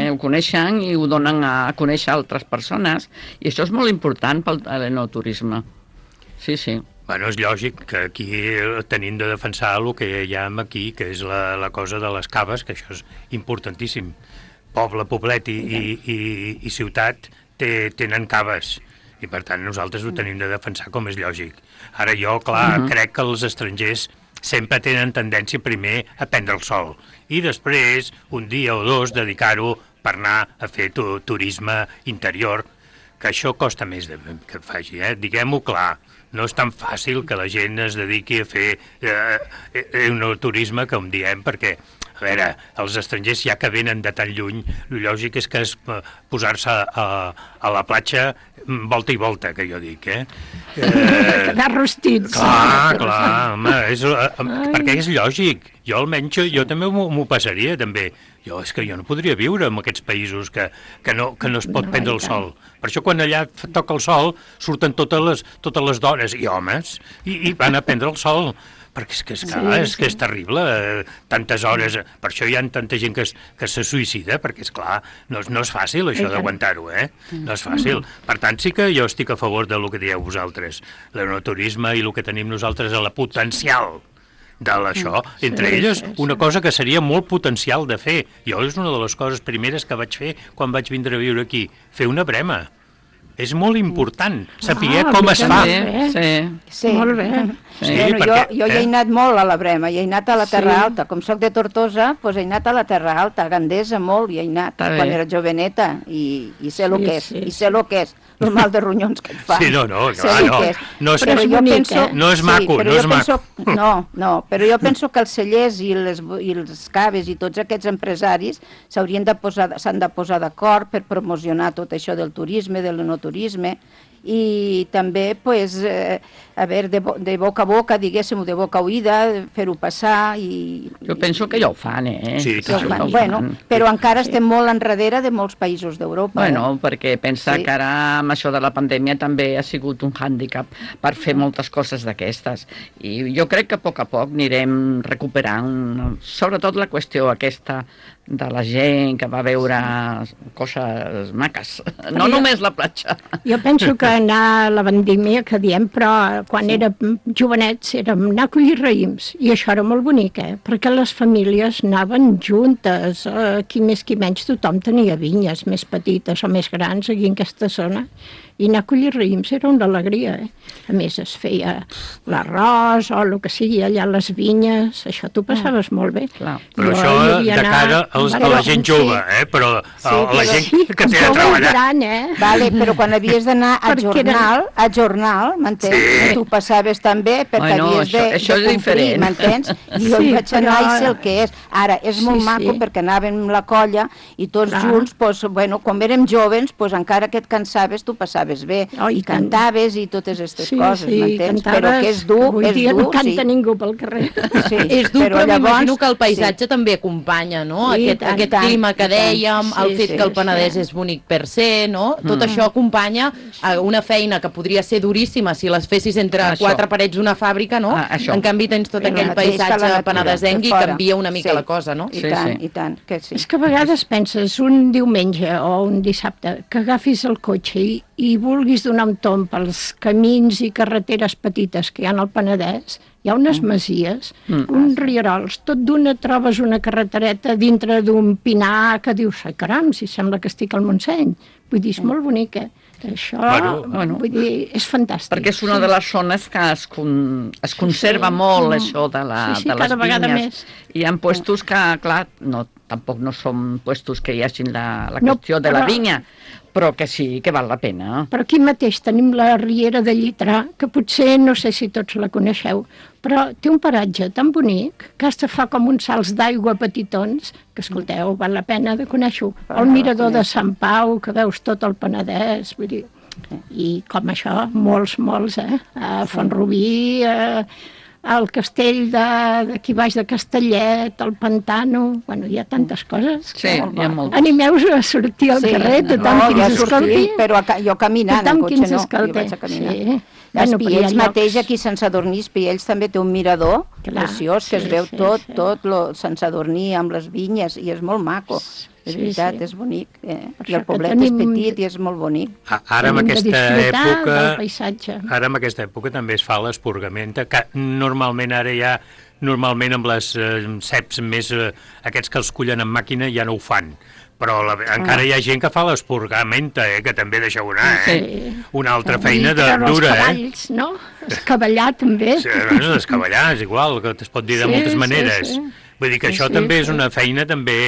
Ho coneixen i ho donen a conèixer altres persones, i això és molt important pel enoturisme. Sí. Bueno, és lògic que aquí tenim de defensar el que hi ha aquí, que és la cosa de les caves, que això és importantíssim. Poble, poblet i ciutat tenen caves. i per tant nosaltres ho tenim de defensar com és lògic. Ara jo, clar, crec que els estrangers sempre tenen tendència primer a prendre el sol i després, un dia o dos, dedicar-ho per anar a fer turisme interior, que això costa més que faci, diguem-ho clar. No és tan fàcil que la gent es dediqui a fer un turisme, com diem, perquè, a veure, els estrangers ja que venen de tan lluny, el lògic és que posar-se a la platja volta i volta, que jo dic, Quedar rostits. Clar, home, perquè és lògic. Jo almenys, jo també m'ho passaria, també. És que jo no podria viure en aquests països que no es pot prendre el sol. Per això quan allà toca el sol surten totes les dones i homes i van a prendre el sol. Perquè és que és terrible, tantes hores. Per això hi ha tanta gent que se suïcida, perquè, esclar, no és fàcil això d'aguantar-ho, No és fàcil. Per tant, sí que jo estic a favor del que dieu vosaltres. L'enoturisme i el que tenim nosaltres a la potencial d'això, entre elles una cosa que seria molt potencial de fer. Jo és una de les coses primeres que vaig fer quan vaig vindre a viure aquí, fer una brema. És molt important saber com es fa. Sí, molt bé. Jo hi he anat molt a la brema, hi he anat a la Terra Alta. Com soc de Tortosa, doncs he anat a la Terra Alta, a Gandesa molt, hi he anat quan era joveneta i sé el que és, i sé el que és. El mal de ronyons que et fa. Sí, no és maco, no és maco. No, però jo penso que els cellers i els caves i tots aquests empresaris s'han de posar d'acord per promocionar tot això del turisme, de l'enoturisme, i també, a veure, de boca a boca, diguéssim, de boca a oïda, fer-ho passar i... Jo penso que ja ho fan, Sí, bueno, però encara estem molt enrere de molts països d'Europa. Bueno, perquè pensa que ara amb això de la pandèmia també ha sigut un hàndicap per fer moltes coses d'aquestes. I jo crec que a poc anirem recuperant, sobretot la qüestió aquesta de la gent que va veure coses maques, no només la platja. Jo penso que anar a la vendímia, que diem, però quan érem jovenets érem anar a collir raïms, i això era molt bonic, perquè les famílies anaven juntes, qui més qui menys, tothom tenia vinyes més petites o més grans aquí en aquesta zona, i anar a collir raïms era una alegria, A més, es feia l'arròs o el que sigui allà a les vinyes, això t'ho passaves molt bé. Però això de cara a la gent jove, però a la gent que té de treballar. Vale, però quan havies d'anar a jornal, m'entens? Tu passaves també perquè havies de complir, m'entens? I jo hi vaig anar i sé el que és. Ara, és molt maco perquè anàvem la colla i tots junts, quan érem joves, encara que et cansaves, tu passaves bé, i cantaves i totes aquestes coses, m'entens? Però que és dur, avui dia no canta ningú pel carrer. És dur, però m'imagino que el paisatge també acompanya, no? Aquest clima que dèiem, el fet que el Penedès és bonic per ser, no? Tot això acompanya una feina que podria ser duríssima si les fessis entre quatre parets d'una fàbrica, no? En canvi tens tot aquell paisatge penedesenc i canvia una mica la cosa, no? I tant, que sí. És que a vegades penses un diumenge o un dissabte que agafis el cotxe i vulguis donar un tomb pels camins i carreteres petites que hi ha al Penedès, hi ha unes masies, uns rierols, tot d'una trobes una carretereta dintre d'un pinar que dius, ai caram, si sembla que estic al Montseny. Vull dir, és molt bonic, Això, vull dir, és fantàstic. Perquè és una de les zones que es conserva molt, això de les vinyes. Hi ha puestos que, clar, tampoc no són puestos que hi hagin la qüestió de la vinya, però que sí, que val la pena. Però aquí mateix tenim la Riera de Llitrà, que potser, no sé si tots la coneixeu, però té un paratge tan bonic que has de fa com uns salts d'aigua petitons, que escolteu, val la pena de conèixer-ho. El mirador de Sant Pau, que veus tot el Penedès, vull dir, i com això, molts, a Font-rubí, al castell d'aquí baix de Castellet, el Pantano, hi ha tantes coses. Sí, hi ha moltes. Animeu-vos a sortir al carrer, tothom qui ens escolti. Però jo caminant, en cotxe no, jo vaig a caminar. Espiells mateix, aquí a Sant Sadurní, Espiells també té un mirador preciós, que es veu tot Sant Sadurní amb les vinyes, i és molt maco. És veritat, és bonic. I el poblet és petit i és molt bonic. Ara en aquesta època també es fa l'esporgament, que normalment ara ja, amb les ceps més, aquests que els cullen amb màquina ja no ho fan, però encara hi ha gent que fa l'esporgamenta, que també deixeu anar, Una altra feina dura, els cavalls, no? Escavallar, també. Sí, escavallar és igual, que es pot dir de moltes maneres. Vull dir que això també és una feina també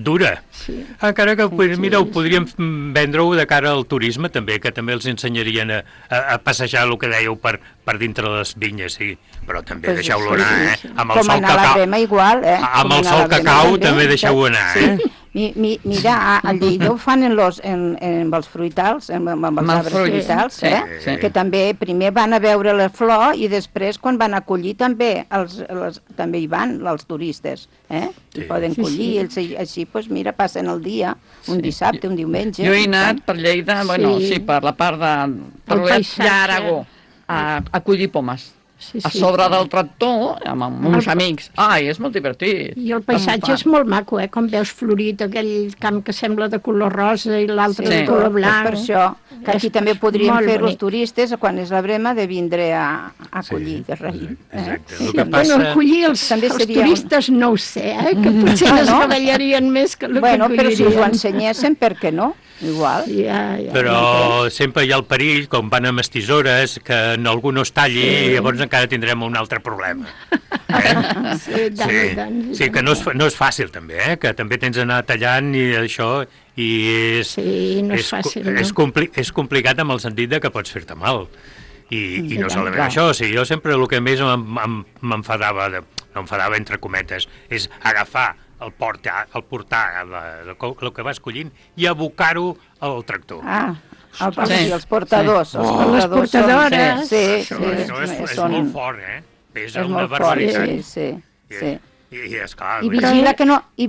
dura. Encara que, mira, ho podríem vendre-ho de cara al turisme, també, que també els ensenyarien a passejar el que dèieu per dintre de les vinyes, sí. Però també deixeu-lo anar, Amb el sol que cau, amb el sol que cau també deixeu-ho anar, Mira, a Lleida ho fan amb els fruitals, amb els arbres fruitals, que també primer van a veure la flor i després quan van a collir també hi van els turistes, i poden collir, així, doncs mira, passen el dia, un dissabte, un diumenge. Jo he anat per Lleida, bueno, sí, per la part d'Aragó, a collir pomes. A sobre del tractor, amb uns amics. Ai, és molt divertit. I el paisatge és molt maco, com veus florit aquell camp que sembla de color rosa i l'altre de color blanc. Per això, que aquí també podrien fer els turistes, quan és la brema, de vindre a collir de raïm. Bueno, collir els turistes no ho sé, que potser no es cavallarien més que el que collirien. Bueno, però si us ho ensenyessin, per què no? Igual. Però sempre hi ha el perill, com van amb les tisores, que algú no es talli i llavors encara tindrem un altre problema. Sí, que no és fàcil també, que també tens d'anar tallant i això, i és complicat amb el sentit de que pots fer-te mal. I no solament això, jo sempre el que més m'enfadava, no enfadava entre cometes, és agafar el portar el que vas collint i abocar-ho al tractor. Els portadors. Les portadores. És molt fort, pesa una barbaritat. I esclar... I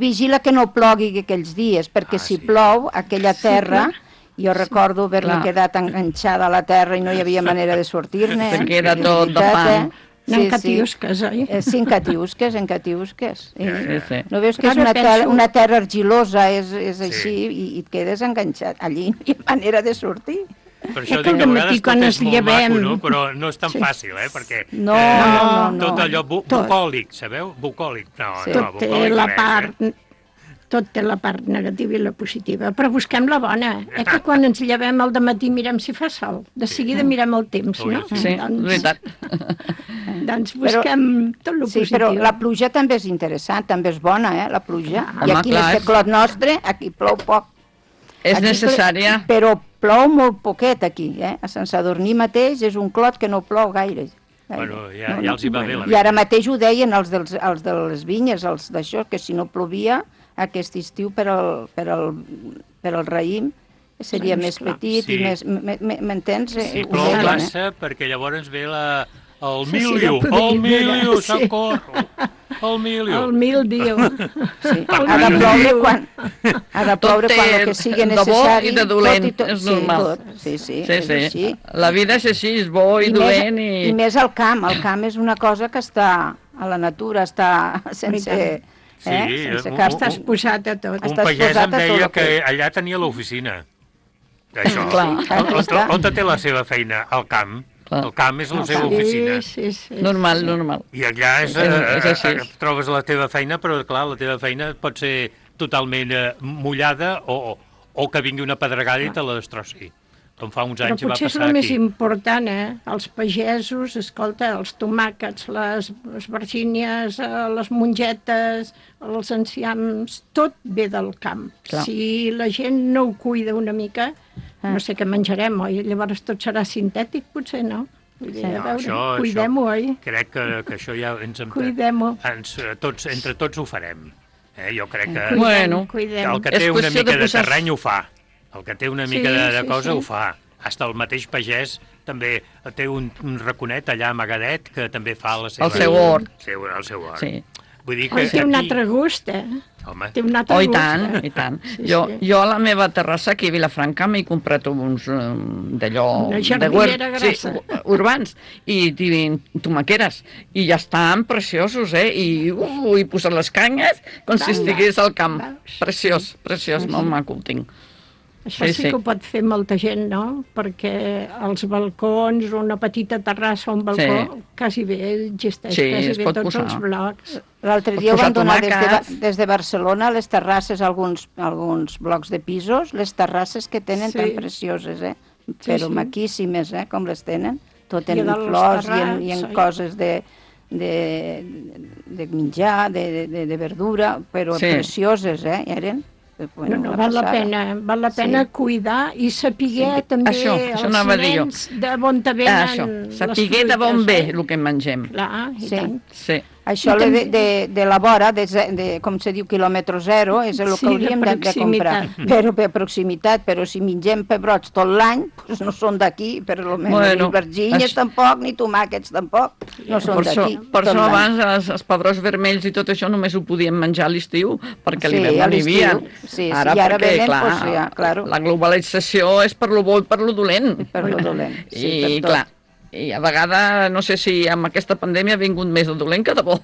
vigila que no plogui aquells dies, perquè si plou, aquella terra... Jo recordo haver-me quedat enganxada a la terra i no hi havia manera de sortir-ne. Perquè era tot de fang. En catiusques, oi? Sí, en catiusques. No veus que és una terra argilosa, és així, i et quedes enganxat. Allí no hi ha manera de sortir. Per això dic que a vegades tot és molt maco, però no és tan fàcil, perquè tot allò bucòlic, sabeu? Bucòlic. Tot té la part... Tot té la part negativa i la positiva, però busquem la bona. Que quan ens llevem al dematí mirem si fa sol, de seguida mirem el temps, no? Sí, veritat. Doncs busquem tot el positiu. Sí, però la pluja també és interessant, també és bona, la pluja. I aquí en aquest clot nostre, aquí plou poc. És necessària. Però plou molt poquet aquí, a Sant Sadurní mateix és un clot que no plou gaire. Bueno, ja els hi va bé la vida. I ara mateix ho deien els de les vinyes, els d'això, que si no plovia aquest estiu per al raïm seria més petit i més... M'entens? Si plou massa, perquè llavors ve el míldiu, socorro, el míldiu. El míldiu. Ha de ploure quan el que sigui necessari. De bo i de dolent, és normal. Sí. La vida és així, és bo i dolent. I més al camp és una cosa que està a la natura, està sense... Estàs posat a tot. Un pagès em deia que allà tenia l'oficina. Això. On té la seva feina? Al camp. El camp és la seva oficina. Normal. I allà trobes la teva feina, però clar, la teva feina pot ser totalment mullada o que vingui una pedregada i te la destrossi. Com fa uns anys va passar aquí. Però potser és el més important, els pagesos, escolta, els tomàquets, les vergínies, les mongetes, els enciams, tot ve del camp. Si la gent no ho cuida una mica, no sé què menjarem, oi? Llavors tot serà sintètic, potser, no? Cuidem-ho, oi? Crec que això ja cuidem-ho. Entre tots ho farem. Jo crec que el que té una mica de terreny ho fa. El que té una mica de cosa ho fa. Hasta el mateix pagès també té un raconet allà amagadet que també fa la seva... El seu hort. El seu hort. Sí. Vull dir que té un altre gust, Home. Té un altre gust. I tant. Jo a la meva terrassa aquí a Vilafranca m'he comprat uns d'allò... Una jardinera grassa. Urbans. I tomaqueres. I ja estan preciosos, I he posat les canyes com si estigués al camp. Preciós, molt maco el tinc. Això sí que ho pot fer molta gent, no? Perquè els balcons, una petita terrassa o un balcó, quasi bé existeix, quasi bé tots els blocs. L'altre dia ho van donar des de Barcelona, les terrasses, alguns blocs de pisos, les terrasses que tenen tan precioses, però maquíssimes, com les tenen, tot en flors i en coses de menjar, de verdura, però precioses, eren. Val la pena cuidar i saber també els nens d'on te venen les fruites. Saber de bon ve el que mengem. Clar, i tant. Sí. Això de la vora, com se diu, quilòmetre zero, és el que hauríem de comprar. Però per proximitat, però si mengem pebrots tot l'any, doncs no són d'aquí, per almenys ni vergínies tampoc, ni tomàquets tampoc, no són d'aquí. Per això abans els pebrots vermells i tot això només ho podíem menjar a l'estiu, perquè l'hivern no n'hi havia. Ara perquè, clar, la globalització és per lo bo i per lo dolent. Per lo dolent, sí, per tot. Clar, i a vegades, no sé si amb aquesta pandèmia ha vingut més de dolent que de bo.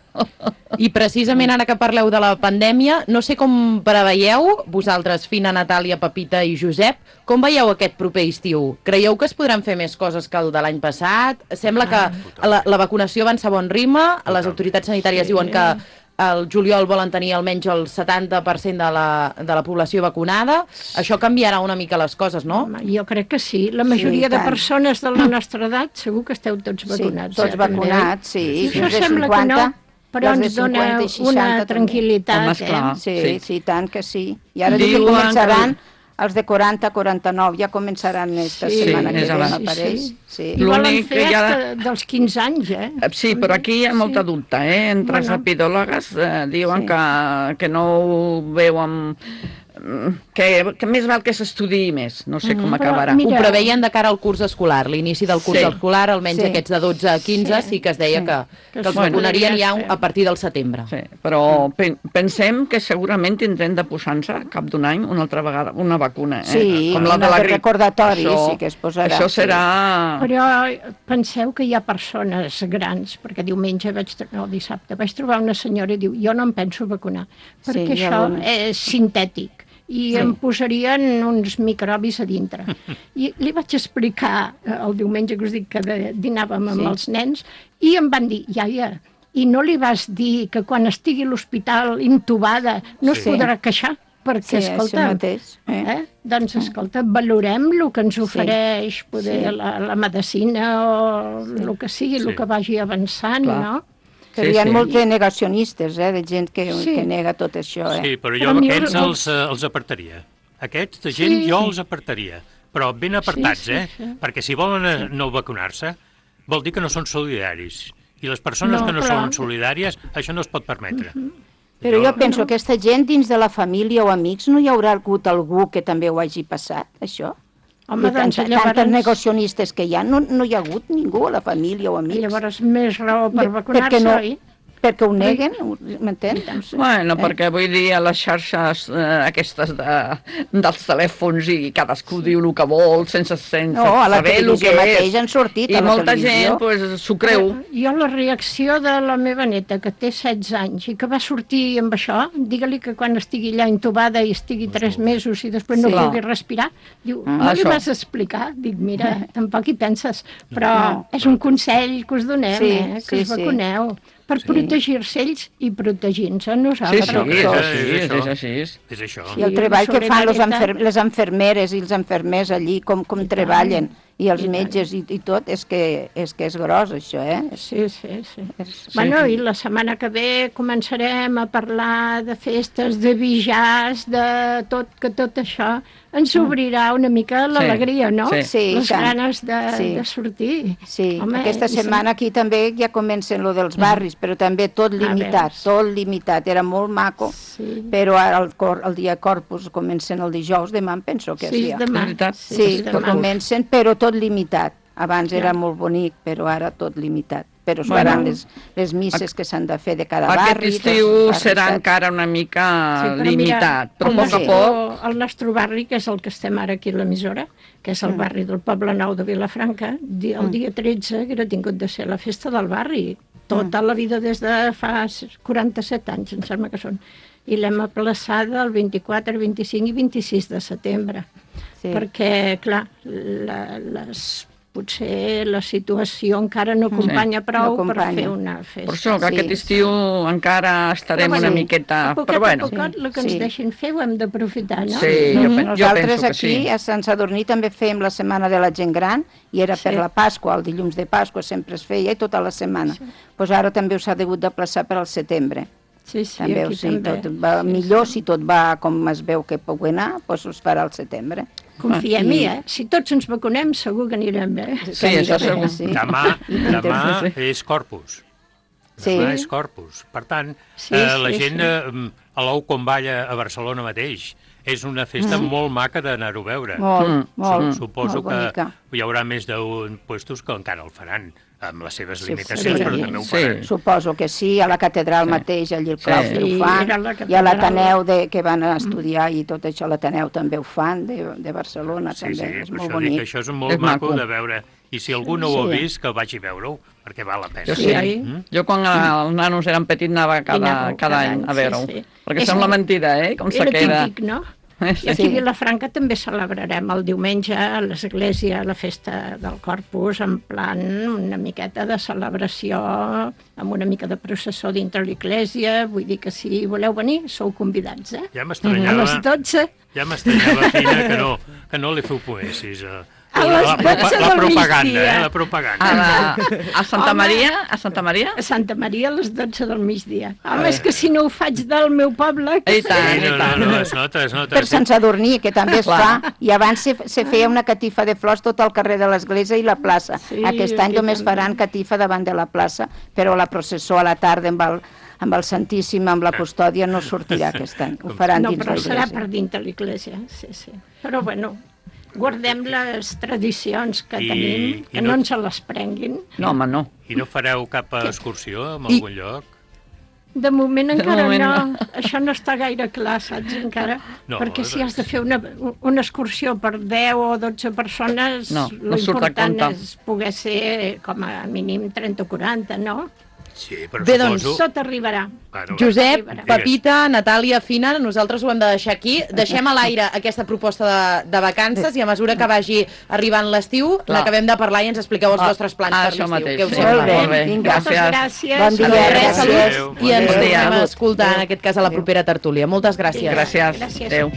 I precisament ara que parleu de la pandèmia, no sé com preveieu, vosaltres, Fina, Natàlia, Pepita i Josep, com veieu aquest proper estiu? Creieu que es podran fer més coses que el de l'any passat? Sembla que la vacunació avança a bon ritme, les autoritats sanitàries diuen que el juliol volen tenir almenys el 70% de la població vacunada. Això canviarà una mica les coses, no? Jo crec que sí. La majoria de persones de la nostra edat segur que esteu tots vacunats. Sí, tots vacunats, sí. Això sembla que no, però ens dona una tranquil·litat. Sí, tant que sí. I ara començaran... Els de 40-49 ja començaran aquesta setmana que ve, m'apareix. I volen fer dels 15 anys, Sí, però aquí hi ha molta dubte, entre els epidòlogs diuen que no ho veuen... que més val que s'estudiï més, no sé com acabarà. Ho preveien de cara al curs escolar, l'inici del curs escolar, almenys aquests de 12 a 15, sí que es deia que els vacunarien ja a partir del setembre. Sí, però pensem que segurament tindrem de posar-nos cap d'un any una altra vegada una vacuna, com la de la grip. Recordatori, sí que es posarà. Això serà... Però penseu que hi ha persones grans, perquè diumenge dissabte vaig trobar una senyora i diu, jo no em penso vacunar, perquè això és sintètic. I em posarien uns microbis a dintre. I li vaig explicar el diumenge que us dic que dinàvem amb els nens i em van dir, iaia, i no li vas dir que quan estigui a l'hospital intubada no es podrà queixar? Perquè, escolta, doncs, escolta, valorem el que ens ofereix poder la medicina o el que sigui, el que vagi avançant, no? Però hi ha molts negacionistes, de gent que nega tot això. Sí, però jo aquests els apartaria. Aquests de gent jo els apartaria. Però ben apartats, perquè si volen no vacunar-se, vol dir que no són solidaris. I les persones que no són solidàries, això no es pot permetre. Però jo penso que aquesta gent dins de la família o amics no hi haurà hagut algú que també ho hagi passat, això? Home, doncs llavors... Tantes negacionistes que hi ha, no hi ha hagut ningú a la família o amics. Llavors més raó per vacunar-se, oi? Perquè ho neguen, m'entens? Bueno, perquè vull dir, a les xarxes aquestes dels telèfons i cadascú diu el que vol sense saber el que és. No, a la televisió mateix han sortit a la televisió. I molta gent s'ho creu. Jo la reacció de la meva neta, que té 16 anys i que va sortir amb això, digue-li que quan estigui allà intubada i estigui 3 mesos i després no pugui respirar, diu, no li vas explicar? Dic, mira, tampoc hi penses, però és un consell que us donem, que us vacuneu. Per protegir-se ells i protegir-nos a nosaltres. És així. És això. I el treball que fan les enfermeres i els enfermers allí, com treballen, i els metges i tot, és que és gros, això, Sí. Bueno, i la setmana que ve començarem a parlar de festes, de bijars, de tot, que tot això ens obrirà una mica l'alegria, no? Sí. Les ganes de sortir. Sí, aquesta setmana aquí també ja comencen lo dels barris, però també tot limitat, era molt maco, però ara el dia Corpus comencen el dijous, demà em penso que és dia. Sí, comencen, però tot limitat. Abans era molt bonic, però ara tot limitat. Però es faran les misses que s'han de fer de cada barri. Aquest estiu serà encara una mica limitat, però a poc a poc... El nostre barri, que és el que estem ara aquí a l'emissora, que és el barri del Poble Nou de Vilafranca, el dia 13 que era tingut de ser la festa del barri, tota la vida des de fa 47 anys, em sembla que són, i l'hem aplaçada el 24, 25 i 26 de setembre. perquè, clar, potser la situació encara no acompanya prou per fer una festa. Per això, que aquest estiu encara estarem una miqueta... Però bueno. El que ens deixin fer ho hem d'aprofitar, no? Sí, nosaltres aquí a Sant Sadurní també fèiem la Setmana de la Gent Gran i era per la Pasqua, el dilluns de Pasqua sempre es feia i tota la setmana. Doncs ara també s'ha hagut de plaçar per al setembre. Sí, també, aquí també. Tot va millor, si tot va com es veu que pot anar, doncs es farà al setembre. Confiem-hi, Si tots ens vacunem, segur que anirem bé. Sí, això segur. Demà és Corpus. Demà és Corpus. Per tant, la gent a l'ou quan balla a Barcelona mateix és una festa molt maca d'anar-ho a veure. Molt Suposo bonica. Que hi haurà més d'un puestos que encara el faran, amb les seves limitacions, però també ho faran. Suposo que sí, a la catedral mateix, allí al claustre ho fan, i a l'Ateneu que van a estudiar i tot això, l'Ateneu també ho fan, de Barcelona també, és molt bonic. Això és molt maco de veure, i si algú no ho ha vist, que vagi a veure-ho, perquè val la pena. Jo quan els nanos eren petits anava cada any a veure-ho, perquè sembla mentida, com se queda. Era típic, no? I aquí a Vilafranca també celebrarem el diumenge a l'església la festa del Corpus en plan una miqueta de celebració amb una mica de processó dintre l'església, vull dir que si voleu venir sou convidats, Ja m'estranyava, a les 12. Ja m'estranyava, Fina, que no li feu poesis a les 12 del migdia. La propaganda. A Santa Maria? A Santa Maria? A Santa Maria a les 12 del migdia. Home, és que si no ho faig del meu poble... No, es nota. Per Sant Sadurní, que també es fa. I abans se feia una catifa de flors tot al carrer de l'església i la plaça. Aquest any només faran catifa davant de la plaça, però la processó a la tarda amb el Santíssim, amb la custòdia, no sortirà aquest any. Ho faran dins l'església. No, però serà per dintre l'església, sí. Però bueno... Guardem les tradicions que tenim, que no ens les prenguin. No, home, no. I no fareu cap excursió en algun lloc? De moment encara no. Això no està gaire clar, saps, encara? Perquè si has de fer una excursió per 10 o 12 persones, l'important és poder ser com a mínim 30 o 40, no? Sí, però bé, doncs, tot arribarà. Josep, Pepita, Natàlia, Fina, nosaltres ho hem de deixar aquí. Deixem a l'aire aquesta proposta de vacances i a mesura que vagi arribant l'estiu n'acabem de parlar i ens expliqueu els vostres plans per l'estiu. Molt bé, gràcies. Bon dia, salut. I ens tornem a escoltar, en aquest cas, a la propera tertúlia. Moltes gràcies. Gràcies. Adéu.